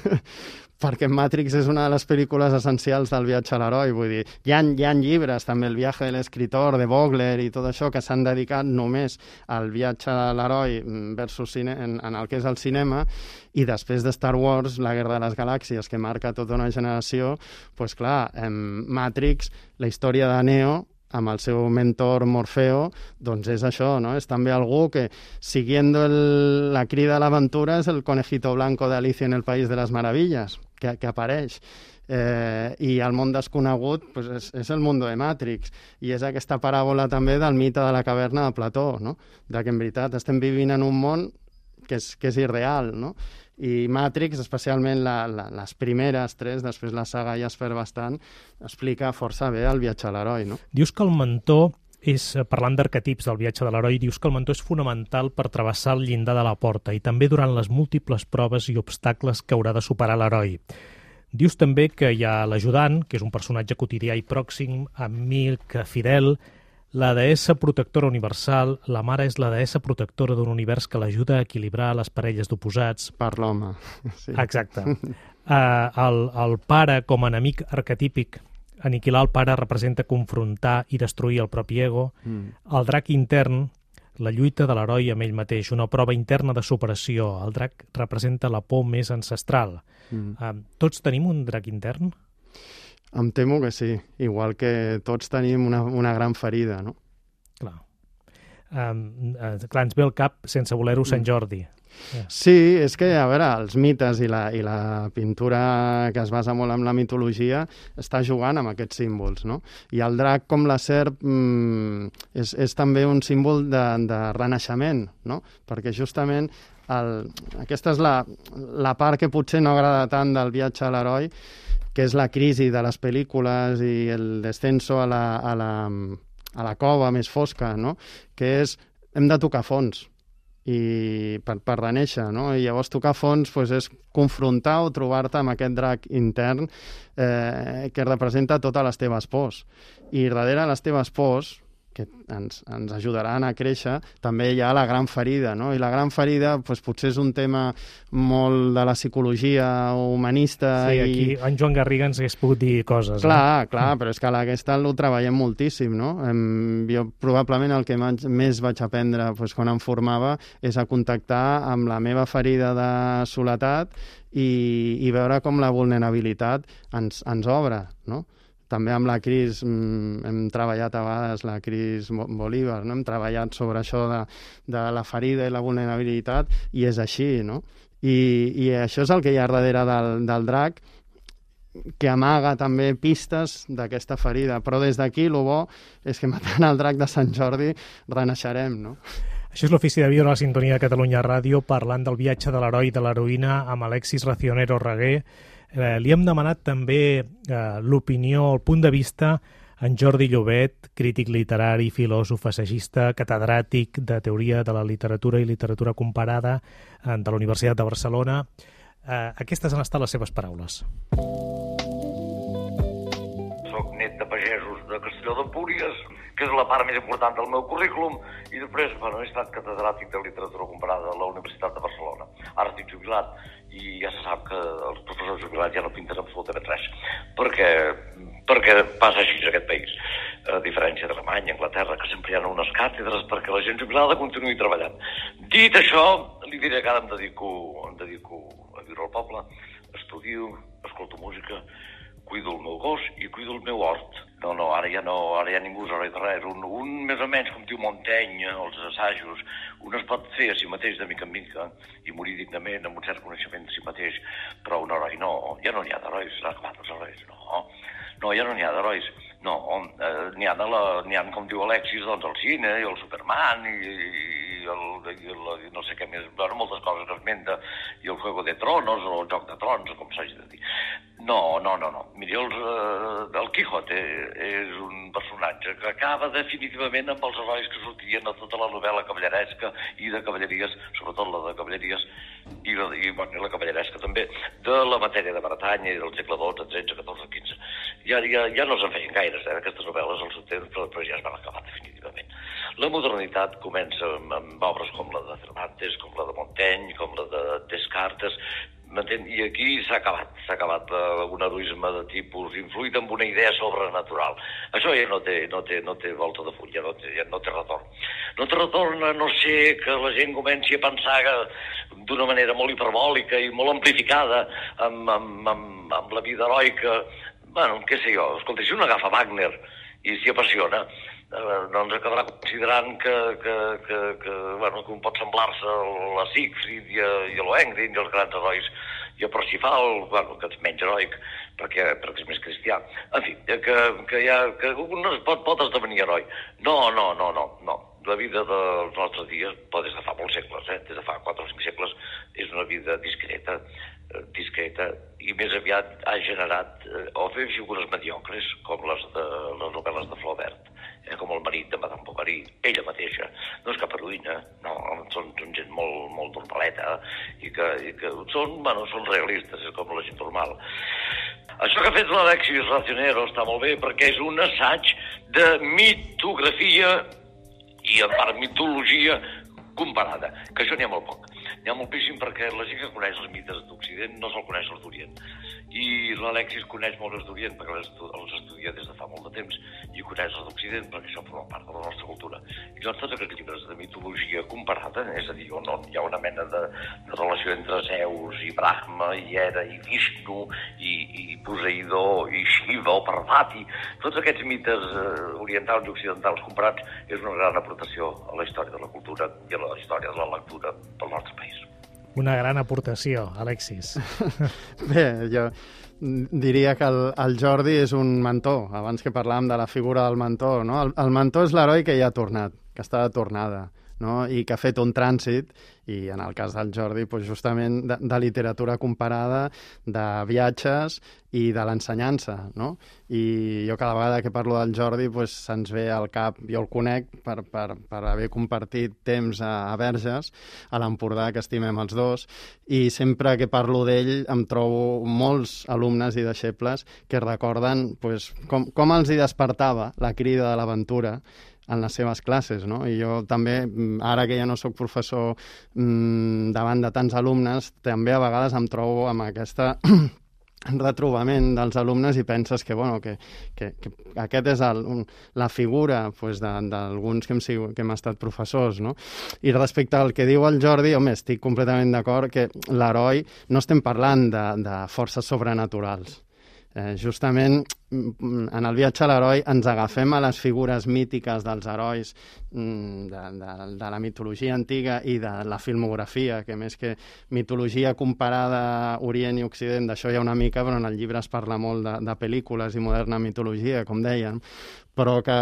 E: Perquè Matrix és una de les pel·lícules essencials del viatge a l'heroi, vull dir, hi ha llibres, també El viaje de l'escritor, de Vogler i tot això, que s'han dedicat només al viatge a l'heroi versus en el que és el cinema, i després de Star Wars, La guerra de les galàxies, que marca tota una generació, doncs clar, Matrix, la història de Neo, amb el seu mentor Morfeo, doncs és això, no? És també algú que, siguiendo la crida a l'aventura, és el conejito blanco de Alicia en el País de les Meravilles, que apareix. I el món desconegut és el món de Matrix, i és aquesta paràbola també del mite de la caverna de Plató, no? De que en veritat estem vivint en un món que és irreal, no? I Matrix, especialment les primeres 3, després la saga ja es perd bastant, explica força bé el viatge a l'heroi, no?
B: Dius que el mentor parlant d'arquetips del viatge de l'heroi, dius que el mentor és fonamental per travessar el llindar de la porta i també durant les múltiples proves i obstacles que haurà de superar l'heroi. Dius també que hi ha l'ajudant, que és un personatge quotidià i pròxim, amic, fidel, la deessa protectora universal, la mare és la deessa protectora d'un univers que l'ajuda a equilibrar les parelles d'oposats.
E: Per l'home, sí.
B: Exacte. El pare com a enemic arquetípic, aniquilar el pare representa confrontar i destruir el propi ego. El drac intern, la lluita de l'heroi amb ell mateix, una prova interna de superació. El drac representa la por més ancestral. Tots tenim un drac intern?
E: Em temo que sí, igual que tots tenim una gran ferida, no?
B: Clar. Clar, ens ve al cap, sense voler-ho, Sant Jordi.
E: Sí, és que, a veure, els mites i la pintura que es basa molt en la mitologia està jugant amb aquests símbols, no? I el drac, com la serp, és també un símbol de renaixement, no? Perquè justament aquesta és la part que potser no agrada tant del viatge a l'heroi, que és la crisi de les pel·lícules i el descenso a la cova més fosca, no? Que hem de tocar fons i per renéixer, no? I llavors tocar fons és confrontar o trobar-te amb aquest drac intern que representa totes les teves pors. I darrere les teves pors, que ens ajudaran a créixer, també hi ha la gran ferida, no? I la gran ferida potser és un tema molt de la psicologia humanista.
B: Sí, aquí en Joan Garriga ens hagués pogut dir coses.
E: Clar, però és que a la Gestalt ho treballem moltíssim, no? Jo probablement el que més vaig aprendre quan em formava és a contactar amb la meva ferida de soledat i veure com la vulnerabilitat ens obre, no? També amb la Cris hem treballat a vegades, la Cris Bolívar, no? Hem treballat sobre això de la ferida i la vulnerabilitat, i és així, no? I això és el que hi ha darrere del drac, que amaga també pistes d'aquesta ferida. Però des d'aquí, el bo és que matant el drac de Sant Jordi renaixerem, no?
B: Això és l'Ofici de Viure a la Sintonia de Catalunya Ràdio, parlant del viatge de l'heroi i de l'heroïna amb Alexis Racionero Reguer. Li hem demanat també l'opinió, el punt de vista en Jordi Llobet, crític literari, filòsof, assagista, catedràtic de Teoria de la Literatura i Literatura Comparada de la Universitat de Barcelona. Aquestes han estat les seves paraules.
F: Soc net de pagesos de Castelló d'Empúries, que és la part més important del meu currículum, i després he estat catedràtic de Literatura Comparada a la Universitat de Barcelona. Ara estic jubilat i ja se sap que els professors jubilats ja no pinten absolutament res, perquè passa així en aquest país, a diferència d'Alemanya, Anglaterra, que sempre hi ha unes càtedres perquè la gent jubilada continuï treballant. Dit això, li diré que ara em dedico a viure al poble, estudio, escolto música, cuido el meu gos i cuido el meu hort. Ara ja ningú és heroi de res. Un més o menys, com diu Montaigne, els assajos, un es pot fer a si mateix de mica en mica i morir dignament amb un cert coneixement de si mateix, però un heroi no, ja no n'hi ha d'herois, s'han acabat els herois, no, ja no n'hi ha d'herois, no, n'hi ha, com diu Alexis, doncs el cine i el Superman i no sé què més, moltes coses que esmenta, i el Juego de Tronos o el Joc de Trons, com s'hagi de dir. No. Miri, el Quijote és un personatge que acaba definitivament amb els herois que sortien a tota la novel·la cavalleresca i de cavalleries, sobretot la de cavalleries i la cavalleresca també, de la matèria de Bretanya i del segle XII, XIII, XIV, XV. Ja no se'n feien gaires, aquestes novel·les al seu temps, però ja es van acabar definitivament. La modernitat comença amb obres com la de Cervantes, com la de Montaigne, com la de Descartes, m'entén? I aquí s'ha acabat un heroisme de tipus influït amb una idea sobrenatural. Això ja no té volta de full, ja no té retorn. No té retorn a no ser que la gent comenci a pensar d'una manera molt hiperbòlica i molt amplificada amb la vida heroica. Què sé jo, escolta, si un agafa Wagner i s'hi apassiona, doncs acabarà considerant que un pot semblar-se a la Siegfried i a Lohengrin i als grans herois, i a Parsifal, que és menys heroic perquè és més cristià. En fi, que un pot esdevenir heroi. No. La vida dels nostres dies, des de fa molts segles, des de fa 4 o 5 segles, és una vida discreta i més aviat ha generat o fer figures mediocres com les novel·les de Flaubert, com el marit de Madame Bovary, ella mateixa. No és cap heroïna, no, són gent molt normaleta i que són realistes, és com la gent normal. Això que ha fet l'Alexis Racionero està molt bé perquè és un assaig de mitografia i en part mitologia comparada, que això n'hi ha molt poc. N'hi ha moltíssim perquè la gent que coneix els mites d'Occident no se'l coneix els d'Orient. I l'Alexis coneix molt els d'Orient perquè els estudia des de fa molt de temps i coneix els d'Occident perquè això forma part de la nostra cultura. I doncs tots aquests llibres de mitologia comparada, és a dir, on hi ha una mena de relació entre Zeus i Brahma i Hera i Vishnu i Poseidó i Shiva o Parvati, tots aquests mites orientals i occidentals comparats és una gran aportació a la història de la cultura i a la història de la lectura del nostre país.
B: Una gran aportació, Alexis.
E: Bé, jo diria que el Jordi és un mentor, abans que parlàvem de la figura del mentor, no? El mentor és l'heroi que ja ha tornat, que està de tornada, no? I que ha fet un trànsit, i en el cas del Jordi, doncs justament de literatura comparada, de viatges i de l'ensenyança, no? I jo cada vegada que parlo del Jordi doncs se'ns ve al cap, jo el conec per haver compartit temps a Verges, a l'Empordà, que estimem els dos, i sempre que parlo d'ell em trobo molts alumnes i deixebles que recorden doncs, com els hi despertava la crida de l'aventura en les seves classes, no? I jo també, ara que ja no sóc professor davant de tants alumnes, també a vegades em trobo amb aquesta retrobament dels alumnes i penses que aquest és la figura d'alguns que hem estat professors, no? I respecte al que diu el Jordi, home, estic completament d'acord que l'heroi no estem parlant de forces sobrenaturals. Justament, en el viatge a l'heroi ens agafem a les figures mítiques dels herois de la mitologia antiga i de la filmografia, que més que mitologia comparada Orient i Occident, d'això hi ha una mica, però en el llibre es parla molt de pel·lícules i moderna mitologia, com dèiem, però que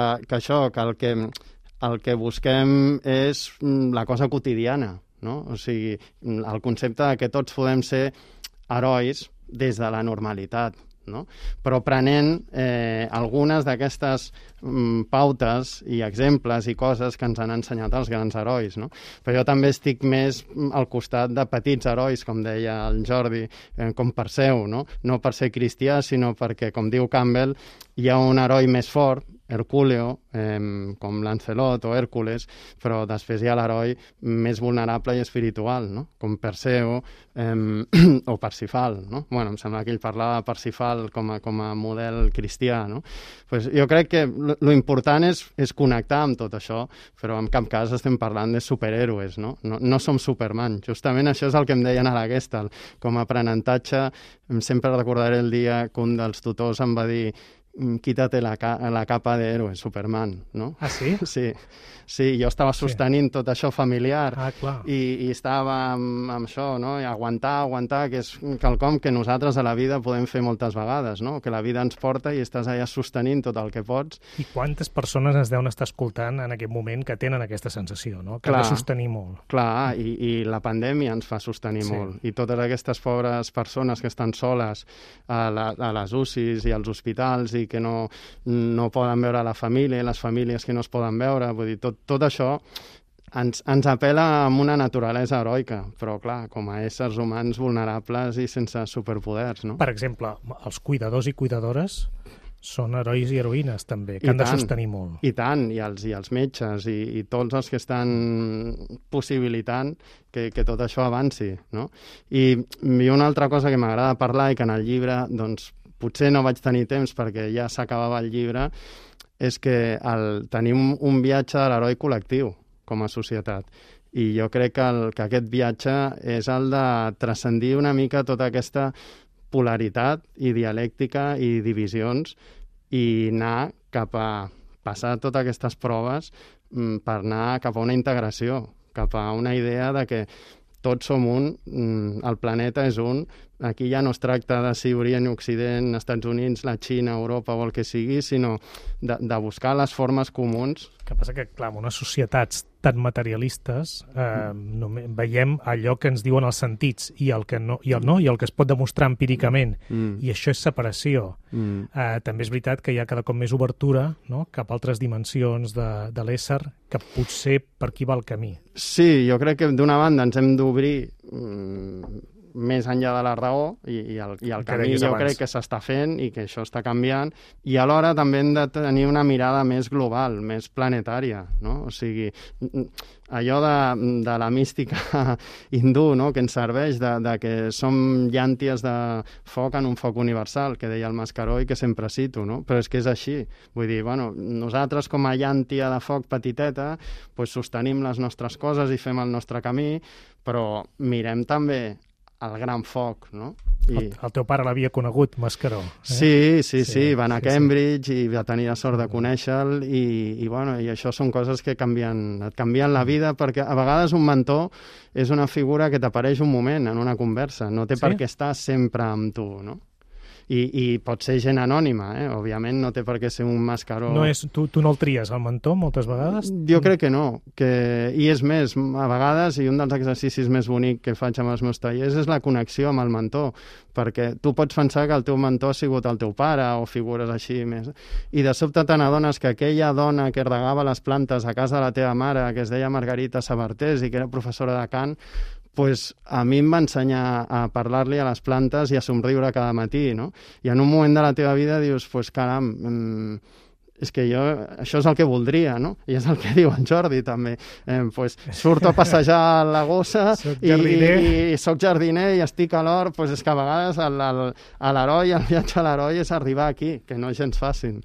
E: el que busquem és la cosa quotidiana, no? O sigui, el concepte de que tots podem ser herois des de la normalitat, no? Però prenent algunes d'aquestes pautes i exemples i coses que ens han ensenyat els grans herois, no? Però jo també estic més al costat de petits herois, com deia el Jordi, com Perseu, no? No per ser cristià, sinó perquè, com diu Campbell, hi ha un heroi més fort, Herculeo, com Lancelot o Hèrcules, però després hi ha l'heroi més vulnerable i espiritual, no? Com Perseu o Parsifal, no? Bueno, em sembla que ell parlava de Parsifal com a model cristià, no? Pues jo crec que lo important és connectar amb tot això, però en cap cas estem parlant de superhéroes, no? No som Superman. Justament això és el que em deien a la Gestalt. Com a aprenentatge, sempre recordaré el dia que un dels tutors em va dir quítate la capa de héroe, Superman, no?
B: Ah, sí?
E: Sí, jo estava sostenint tot això familiar
B: i
E: estava amb això, no? I aguantar, que és quelcom que nosaltres a la vida podem fer moltes vegades, no? Que la vida ens porta i estàs allà sostenint tot el que pots.
B: I quantes persones ens deuen estar escoltant en aquest moment que tenen aquesta sensació, no? Que han de sostenir molt.
E: Clar, i la pandèmia ens fa sostenir molt. I totes aquestes pobres persones que estan soles a les UCIs i als hospitals i que no poden veure la família, les famílies que no es poden veure, vull dir, tot això ens apel·la amb una naturalesa heroica, però clar, com a éssers humans vulnerables i sense superpoders, no?
B: Per exemple, els cuidadors i cuidadores són herois i heroïnes també, que han de sostenir molt.
E: I tant, i els metges i tots els que estan possibilitant que tot això avanci, no? I una altra cosa que m'agrada parlar i que en el llibre, doncs, potser no vaig tenir temps perquè ja s'acabava el llibre, és que tenim un viatge de l'heroi col·lectiu com a societat. I jo crec que aquest viatge és el de transcendir una mica tota aquesta polaritat i dialèctica i divisions i anar cap a passar totes aquestes proves per anar cap a una integració, cap a una idea de que tots som un, el planeta és un, aquí ja no es tracta de si Orient i Occident, Estats Units, la Xina, Europa o el que sigui, sinó de buscar les formes comuns.
B: El que passa que, clar, en unes societats tan materialistes veiem allò que ens diuen els sentits i el que es pot demostrar empíricament, i això és separació. També és veritat que hi ha cada cop més obertura, no?, cap a altres dimensions de l'ésser, que potser per aquí va el camí.
E: Sí, jo crec que d'una banda ens hem d'obrir més enllà de la raó i el camí jo crec que s'està fent i que això està canviant, i alhora també hem de tenir una mirada més global, més planetària, no? O sigui, allò de la mística hindú, no?, que ens serveix de que som llànties de foc en un foc universal, que deia el Mascaró i que sempre cito, no? Però és que és així. Vull dir, bueno, nosaltres com a llàntia de foc petiteta pues sostenim les nostres coses i fem el nostre camí, però mirem també el gran foc, no?
B: El teu pare l'havia conegut, Mascaró.
E: Sí, va anar a Cambridge i va tenir la sort de conèixer-lo i això són coses que et canvien la vida, perquè a vegades un mentor és una figura que t'apareix un moment en una conversa, no té per què estar sempre amb tu, no? I pot ser gent anònima, òbviament no té per què ser un Mascaró.
B: No és, tu no el tries, el mentor, moltes vegades?
E: Jo crec que no, i és més, a vegades, i un dels exercicis més bonics que faig amb els meus tallers és la connexió amb el mentor, perquè tu pots pensar que el teu mentor ha sigut el teu pare o figures així més, i de sobte te n'adones que aquella dona que regava les plantes a casa de la teva mare, que es deia Margarita Sabartés i que era professora de cant, pues a mi em va ensenyar a parlar-li a les plantes i a somriure cada matí, no? I en un moment de la teva vida dius, pues caram, és que jo això és el que voldria, no? I és el que diu en Jordi també. Pues surto a passejar la gossa i soc jardiner i estic a l'hort, pues és que a vegades l'heroi, el viatge a l'heroi és arribar aquí, que no és gens fàcil.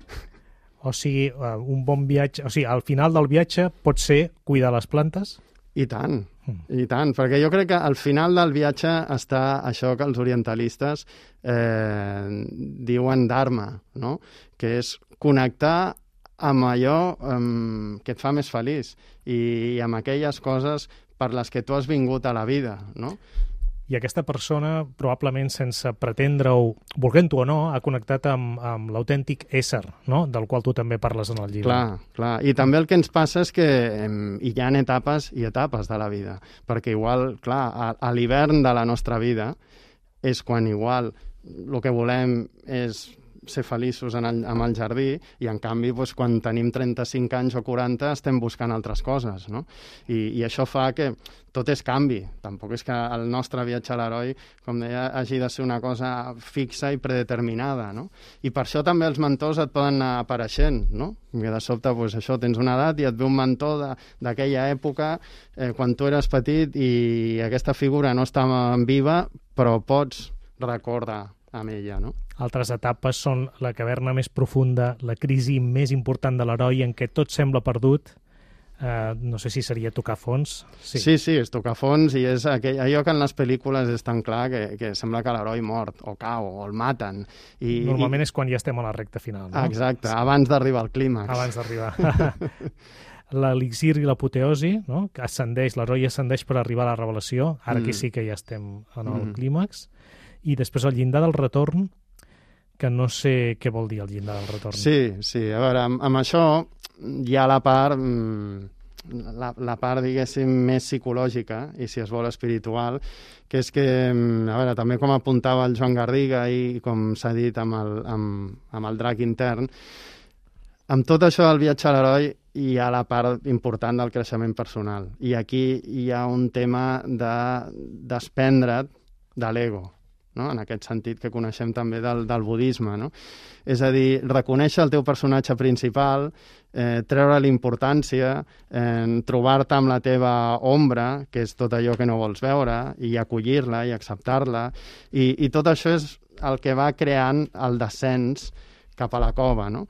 B: O sigui, un bon viatge, o sigui, al final del viatge pot ser cuidar les plantes?
E: I tant, I tant, perquè jo crec que al final del viatge està això que els orientalistes diuen dharma, no? Que és connectar amb allò que et fa més feliç i amb aquelles coses per les que tu has vingut a la vida, no?
B: I aquesta persona, probablement sense pretendre-ho, volent-ho o no, ha connectat amb l'autèntic ésser, no? Del qual tu també parles en el llibre.
E: Clar. I també el que ens passa és que hi ha etapes i etapes de la vida, perquè igual, clar, a l'hivern de la nostra vida és quan igual el que volem és ser feliços amb el jardí i, en canvi, doncs, quan tenim 35 anys o 40 estem buscant altres coses, no? I això fa que tot és canvi. Tampoc és que el nostre viatge a l'heroi, com deia, hagi de ser una cosa fixa i predeterminada, no? I per això també els mentors et poden anar apareixent, no? Que de sobte, doncs, això, tens una edat i et ve un mentor d'aquella època quan tu eres petit i aquesta figura no estava viva, però pots recordar amb ella, no?
B: Altres etapes són la caverna més profunda, la crisi més important de l'heroi en què tot sembla perdut. No sé si seria tocar fons.
E: Sí, és tocar fons i és allò que en les pel·lícules és tan clar que sembla que l'heroi mort o cau o el maten.
B: Normalment és quan ja estem a la recta final, no?
E: Exacte, abans d'arribar al clímax.
B: Abans d'arribar. L'elixir i l'apoteosi, no? Que ascendeix, l'heroi ascendeix per arribar a la revelació. Ara aquí sí que ja estem en el clímax. I després el llindar del retorn, que no sé què vol dir el llindar del retorn.
E: Sí, a veure, amb això hi ha la part, diguéssim, més psicològica i, si es vol, espiritual, que és que, a veure, també com apuntava el Joan Garriga i com s'ha dit amb el drac intern, amb tot això del viatge a l'heroi hi ha la part important del creixement personal. I aquí hi ha un tema de desprendre't de l'ego, no? En aquest sentit que coneixem també del budisme, no? És a dir, reconèixer el teu personatge principal, treure l'importància, trobar-te amb la teva ombra, que és tot allò que no vols veure, i acollir-la i acceptar-la, i tot això és el que va creant el descens cap a la cova, no?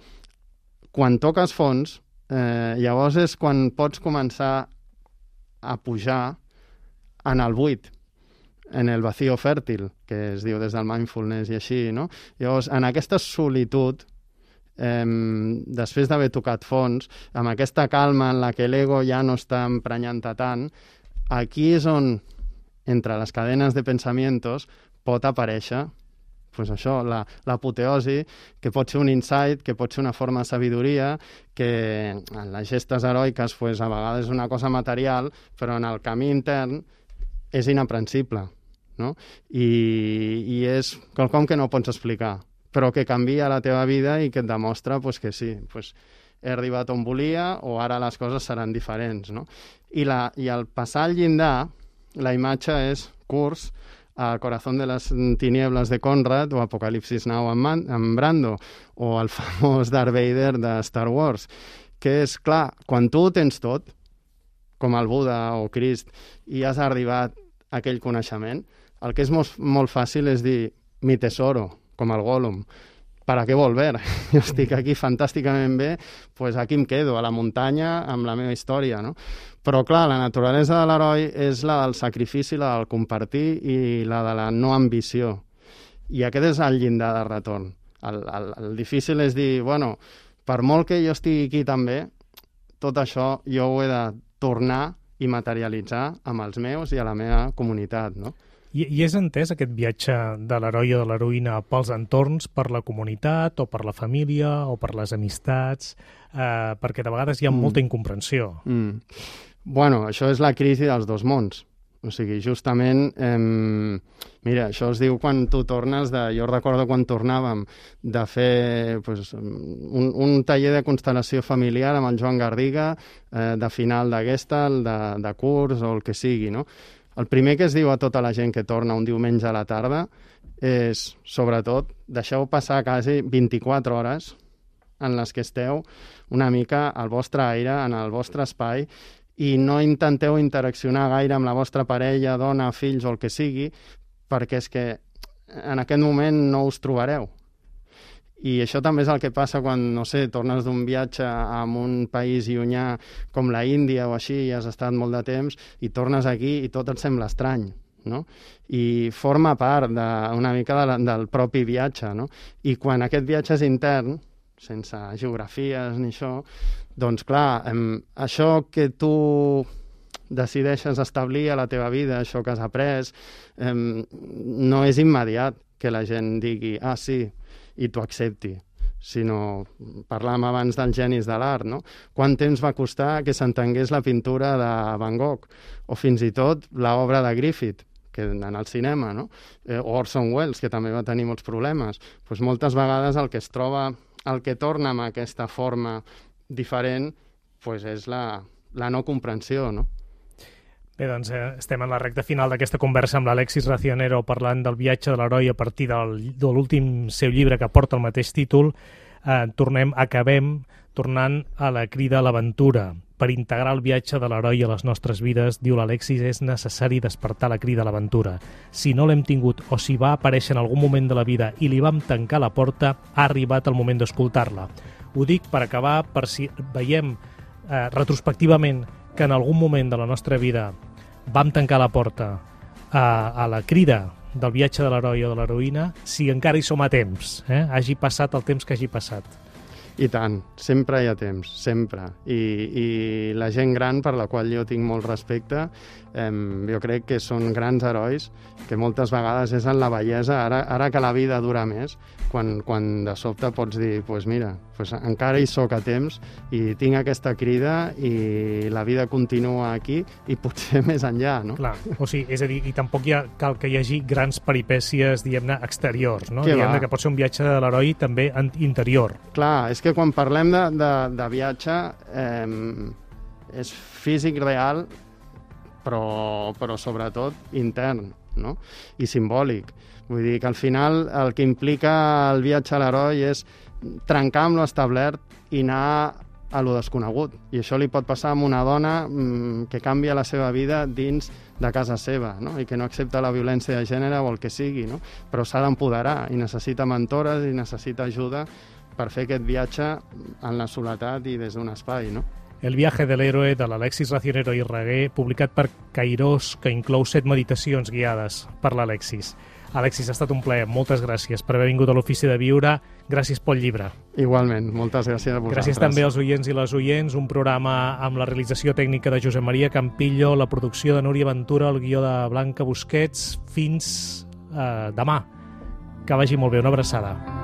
E: Quan toques fons, llavors és quan pots començar a pujar en el buit, en el vacío fèrtil, que es diu des del mindfulness i així, no? Llavors, en aquesta solitud, després d'haver tocat fons, amb aquesta calma en la que l'ego ja no està emprenyant-te tant, aquí és on, entre les cadenes de pensamientos, pot aparèixer pues això, l'apoteosi, que pot ser un insight, que pot ser una forma de sabidoria, que en les gestes heroiques pues, a vegades és una cosa material, però en el camí intern és inaprensible, no? I és quelcom que no pots explicar, però que canvia la teva vida i que et demostra pues, que sí, pues, he arribat on volia o ara les coses seran diferents, no? I al passar al llindar, la imatge és Kurz, a Corazón de las Tinieblas de Conrad o Apocalipsis Now amb Brando o el famós Darth Vader de Star Wars, que és, clar, quan tu ho tens tot, com el Buda o Crist, i has arribat a aquell coneixement, el que és molt fàcil és dir mi tesoro, com el Gollum. ¿Para qué volver? Jo estic aquí fantàsticament bé, pues aquí em quedo, a la muntanya, amb la meva història, no? Però, clar, la naturalesa de l'heroi és la del sacrifici, la del compartir i la de la no ambició. I aquest és el llindar de retorn. El difícil és dir, bueno, per molt que jo estigui aquí també, tot això jo ho he de tornar i materialitzar amb els meus i a la meva comunitat, no?
B: I és entès aquest viatge de l'heroi o de l'heroïna pels entorns, per la comunitat o per la família o per les amistats, perquè de vegades hi ha molta incomprensió.
E: Bueno, això és la crisi dels dos mons. O sigui, justament, mira, això es diu quan tu tornes jo recordo quan tornàvem de fer pues, un taller de constel·lació familiar amb el Joan Garriga, de final de Gestalt, de curs o el que sigui, no? El primer que es diu a tota la gent que torna un diumenge a la tarda és, sobretot, deixeu passar quasi 24 hores en les que esteu una mica al vostre aire, en el vostre espai, i no intenteu interaccionar gaire amb la vostra parella, dona, fills o el que sigui, perquè és que en aquest moment no us trobareu. I això també és el que passa quan, no sé, tornes d'un viatge a un país llunyà com la Índia o així, i has estat molt de temps, i tornes aquí i tot et sembla estrany, no? I forma part una mica del propi viatge, no? I quan aquest viatge és intern, sense geografies ni això, doncs clar, això que tu decideixes establir a la teva vida, això que has après, no és immediat que la gent digui, sí, i t'ho accepti, sinó parlàvem abans dels genis de l'art, no? Quant temps va costar que s'entengués la pintura de Van Gogh, o fins i tot l'obra de Griffith, que en el cinema, no? O Orson Welles, que també va tenir molts problemes. Doncs moltes vegades el que es troba, el que torna amb aquesta forma diferent, doncs és la no comprensió, no?
B: Bé, doncs estem en la recta final d'aquesta conversa amb l'Alexis Racionero parlant del viatge de l'heroi a partir de l'últim seu llibre que porta el mateix títol. Acabem tornant a la crida a l'aventura. Per integrar el viatge de l'heroi a les nostres vides, diu l'Alexis, és necessari despertar la crida a l'aventura. Si no l'hem tingut o si va aparèixer en algun moment de la vida i li vam tancar la porta, ha arribat el moment d'escoltar-la. Ho dic per acabar, per si veiem retrospectivament que en algun moment de la nostra vida vam tancar la porta a la crida del viatge de l'heroi o de l'heroïna, si encara hi som a temps, hagi passat el temps que hagi passat.
E: I tant, sempre hi ha temps, sempre. I la gent gran, per la qual jo tinc molt respecte, jo crec que són grans herois, que moltes vegades és en la bellesa, ara que la vida dura més, quan de sobte pots dir, doncs mira, encara hi soc a temps i tinc aquesta crida i la vida continua aquí i potser més enllà, no?
B: Clar, o sigui, és a dir, i tampoc cal que hi hagi grans peripècies, diguem-ne, exteriors, no? Diguem-ne que pot ser un viatge de l'heroi també interior.
E: Clar, és que quan parlem de viatge és físic real, però sobretot intern, no? I simbòlic. Vull dir que al final el que implica el viatge a l'heroi és trencar amb lo establert i anar a lo desconegut. I això li pot passar a una dona que canvia la seva vida dins de casa seva, no? I que no accepta la violència de gènere o el que sigui, no? Però s'ha d'empoderar i necessita mentores i necessita ajuda per fer aquest viatge en la soledat i des d'un espai, no?
B: El viaje de l'héroe de l'Alexis Racionero i Reguer, publicat per Cairós, que inclou 7 meditacions guiades per l'Alexis. Alexis, ha estat un plaer. Moltes gràcies per haver vingut a l'Ofici de Viure. Gràcies pel llibre.
E: Igualment, moltes gràcies a vosaltres.
B: Gràcies també als oients i les oients. Un programa amb la realització tècnica de Josep Maria Campillo, la producció de Núria Ventura, el guió de Blanca Busquets. Fins demà. Que vagi molt bé. Una abraçada.